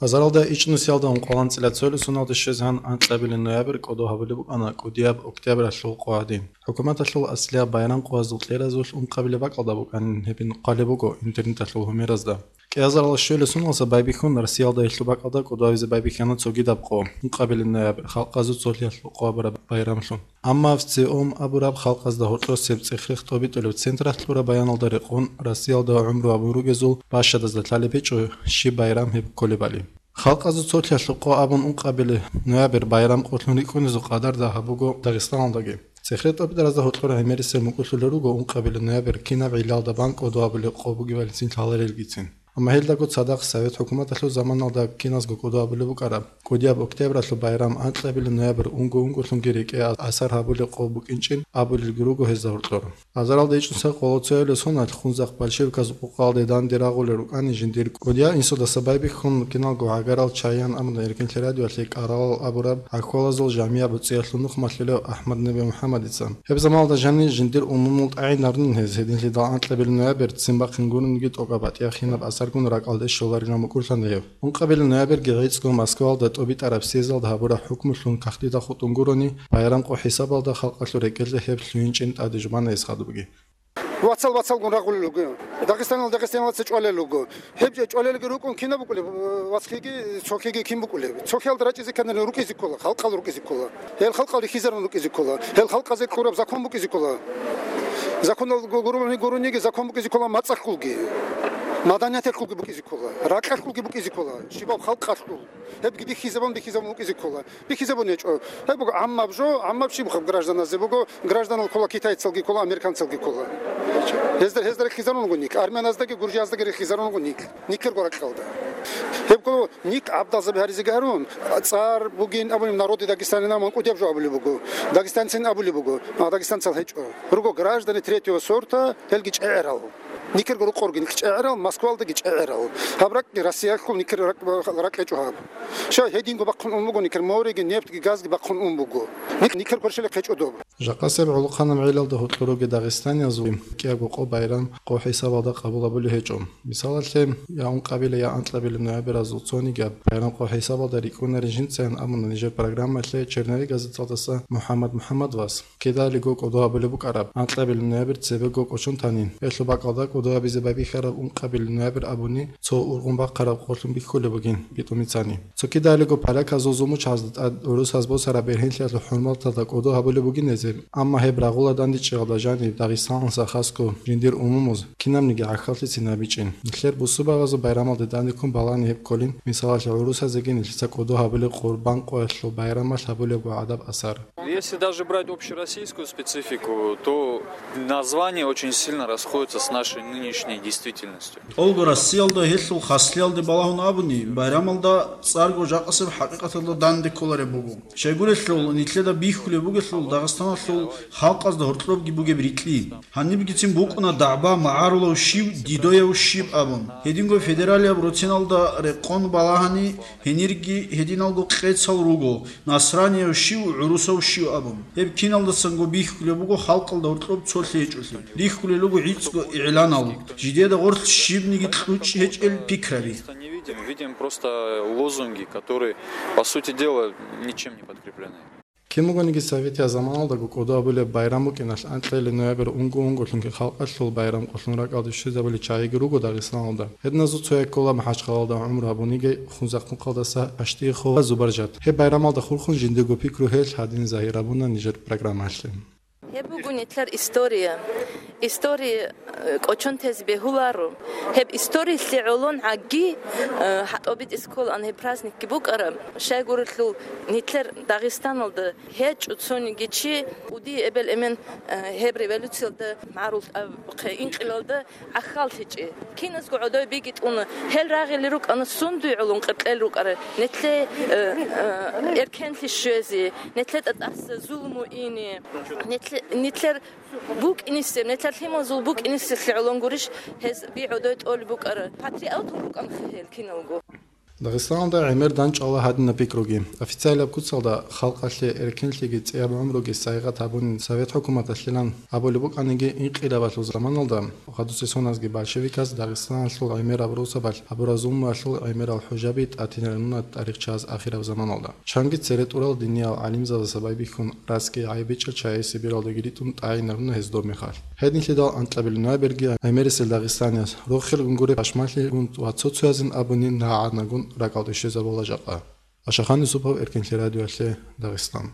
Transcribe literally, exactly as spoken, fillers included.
Азаралда ичӀнусиялда ункъоялда анцӀила цоял соналда щвезегӀан анкьабилеб ноябрь кӀодо гьабулеб букӀана кӀудияб октябралъул къо гьадин. ХӀукуматалъул аслияб байрам къоязул кьеразулъ ункъабилеб бакӀалда букӀанин гьебин хъвалеб буго интернеталъул гьумеразда. КӀиазарал щвелесуналса байбихьун Россиялда гьелъул бакӀалда кӀодо гьабизе байбихьана цогидаб къо, ункъабилеб ноябрь, халкъазул цолъиялъул къо абураб байрамлъун. Амма ВЦИОМ абураб халкъазда гьоркьосеб цӀех-рех тӀобитӀулеб централъ кьураб баяналда рекъон, Россиялда гӀумру гьабун ругезул бащадазда лъалеб гьечӀо щиб байрам гьеб кколебали. Халкъазул цолъиялъул къо абун ункъабилеб ноябрь байрам къолъун рикӀкӀунезул къадарда гьаб буго Дагъистаналдаги. ЦӀех-рех тӀобитӀаразда гьоркьор гӀемерисел мукӀурлъулел руго ункъабилеб ноябрь кинаб гӀиллалда бан кӀодо гьабулеб къо бугебалицин лъаларелгицин. Амма гьелдаго цадахъ Совет хӀукуматалъул заманалда киназго кӀодо гьабулеб букӀараб кӀудияб октябралъул байрам анкьабилеб ноябрь унго-унголъунги рекӀее асар гьабулеб къо букӀинчӀин абулелги руго гьезда гьоркьор. Азаралда ичӀнусиялда къоло цоялъул соналъ Хунзахъ большевиказ къукъалде данде рагъулел рукӀани жиндир кӀудиял инсудаса байбихьун киналго гӀагарал Чаян абуна эркенлъи радиоялъе кӀаралал абураб гӀахьалазул жамигӀ БуцӀиялъул нух малъулев АхӀмад-Неби МухӀаммадица. Гьеб заманалда жанир жиндир умумул тӀагӀинарнин гьез, гьединлъидал анкьабилеб ноябрь ццин бахъин гурониги тӀокӀаб батӀияб кинаб асаргун ракӀалде щоларилан букӀурлъана гьев. Ункъабилеб ноябрьги гӀицӀго Москвалда тӀобитӀараб съездалда гьабураб хӀукмулъун кагътида хутӀун гурони, байрам къо хӀисабалда халкъалъул рекӀелде гьеб лъугьинчӀин тӀаде жубана гьес хадубги. Вацал-вацалгун рагъулел руго. Дагъистанал дагъистаналца чӀвалел руго. Гьеб же чӀвалелги рукӀун кинаб букӀулеб, вацлъиги, цохиги кин букӀулеб? Цохиялда рачӀизе кканани рукӀизе ккола, халкъал рукӀизе ккола. Гьел халкъал рихьизарун рукӀизе ккола. Гьел халкъазе кьураб закон букӀизе ккола. Законал гу-, гурони-, гурониги закон букӀизе ккола мацӀалъулги, маданияталъулги букӀизе ккола, ракьалъулги букӀизе ккола, щибаб халкъалъул. Гьебги бихьизабун, бихьизабун букӀизе ккола. Бихьизабун гьечӀо. Гьеб буго гӀаммаб жо, гӀаммаб щиб гражданазде буго, гражданал ккола, китайцалги ккола, американцалги ккола. Гьезда, гьезда рехизарун руго нилъ, армяназдаги, гуржияздаги рехизарун руго нилъ, нилъерго ракьалда. Гьебго нилъ гӀабдалзаби гьаризеги гьарун, цӀар бугин абунеб, народы Дагестана ман кӀудияб жо абулеб буго, дагестанцин абулеб буго, а дагестанцал гьечӀо. Руго граждане третьего сорта, гьелги чӀегӀерал. Никерго рукъорги нилъ чӀегӀерал, Москвалдаги чӀегӀерал. Гьаб ракӀги Россиялъул никер ракӀ-, ракӀ гьечӀо гьаб. Щай гьединго бахъун ун буго никер, морейги, нефтги, газги бахъун ун буго. Нилъ никер кверщелехъ гьечӀо доб. Жакъасеб гӀолохъанаб гӀелалда гьоркьор ругел дагъистаниязул кӀиябго къо байрам къо хӀисабалда къабул гьабулеб гьечӀо. Мисалалъе, я ункъабилеб, я анкьабилеб ноябрьазул цонигияб байрам къо хӀисабалда рикӀкӀунарин жинцайин абуна нижер программалъе Черновик газеталдаса МухӀаммад МухӀаммадовас. Кидалиго кӀодо гьабулеб букӀараб анкьабилеб ноябрь цебего кӀочон танин. Гьелъул бакӀалда кӀодо гьабизе байбихьараб ункъабилеб ноябрь абуни цо ургъун бахъараб къолъун бихьулеб бугин битӀумицани. Цо кидалиго поляказул зулмучагӀазда тӀад гӀурусаз босараб бергьенлъиялъул хӀурматалда кӀодо гьабулеб бугин гьезие, амма гьеб рагъула дандечӀеялда жаниб дагъистанлъа хасго жиндир умумуз кинабниги гӀахьаллъицин гьабичӀин. Нилъер бусурбабазул байрамалде дандеккун балани гьеб кколин, мисалалъе, гӀурусазеги нилъеца кӀодо гьабулеб Къурбан къоялъул байрамалъ гьабулебго гӀадаб асар. Если даже брать общероссийскую специфику, то название очень сильно расходится с нашей нынешней действительностью. ТӀолго Россиялда гьелъул хаслиялде балагьун абуни, байрамалда цӀарго жакъасеб хӀакъикъаталда данде кколареб буго. Щайгурелъул, нилъеда бихьулеб бугелъул Дагъистаналъул халкъазда гьоркьобги бугеб рикьи. Гьанибгицин букӀуна дагӀба магӀарулав щив, дидояв щив абун. Гьединго федералияб роциналда рекъон балагьани, гьенирги гьединалго къецал руго, насранияв щив, гӀурусав щив абун. Гьеб киналдасанго бихьулеб буго халкъалда гьоркьоб цолъи гьечӀолъи. Рихьулел руго гӀицӀго игӀланал, жидеда гъорлъ щибниги кьучӀ гьечӀел пикраби. Не видим, видим просто лозунги, которые, по сути дела, ничем не подкреплены. Кин бугониги советиял заманалдаго кӀодо гьабулеб байрам букӀиналъ анкьабилеб ноябрь унго-унголъунги халкъалъул байрам къолъун ракӀалде щвезабулел чагӀиги руго Дагъистаналда. Гьединазул цояз ккола МахӀачхъалалда гӀумру гьабуниги Хунзахъ нухалдаса Аштихова Зубаржат. Гьеб байрамалда хурхун жиндирго пикру гьелъ гьадин загьир гьабуна нижер программалъе. Гьеб буго нилъер история. История, э, кӀочон тезе бегьуларо. Гьеб историялъе гӀолон гӀаги, э, гьатӀобитӀизе кколаан гьеб праздникги букӀараб. Щайгурелъул нилъер Дагъистаналда гьечӀо цониги чи, кӀудиял эбел-эмен, э, гьеб революциялда, магӀарул абухъе инкъилалда гӀахьаллъичӀеб. Киназго гӀодов бигитӀуна, гьел рагъулел рукӀана сундуй гӀолон къеркьел рукӀарал, нилъее, э, э, эркенлъи щвезе, нилъеда тӀаса зулму ине, нилъе-, нилъер букӀинисеб, нилъер лъималазул букӀинисеблъи гӀолон гурищ гьез би гӀодой тӀолеб букӀарал. Патриотун рукӀанха гьел киналго. Дагъистаналда гӀемер данчӀвала гьадинаб пикруги. Официалаб куцалда халкъалъе эркенлъиги цӀияб гӀумруги сайигъат гьабунин совет хӀукуматалъилан абулеб букӀаниги, инкъилабалъул заманалда гъадусесуназги большевиказ Дагъистаналъул гӀемераб росабалъ гьабураб зулмуялъул гӀемерал хӀужаби тӀатинарунна тарихчияз ахираб заманалда. Чанги цере тӀурал диниял гӀалимзабаздаса байбихьун, расги гӀайибичӀел чагӀи Сибиралдаги ритӀун тӀагӀинаруна гьез доб мехалъ. Гьединлъидал анкьабилеб ноябрьги гӀемерисел дагъистанияс, рохел гунгуре пашмалъи гун ва цо-цоязин абуни нагӀанагун ракӀалде щвезабула жакъа. Ашахан Юсупов, Эркенлъи радиоялъе, Дагъистан.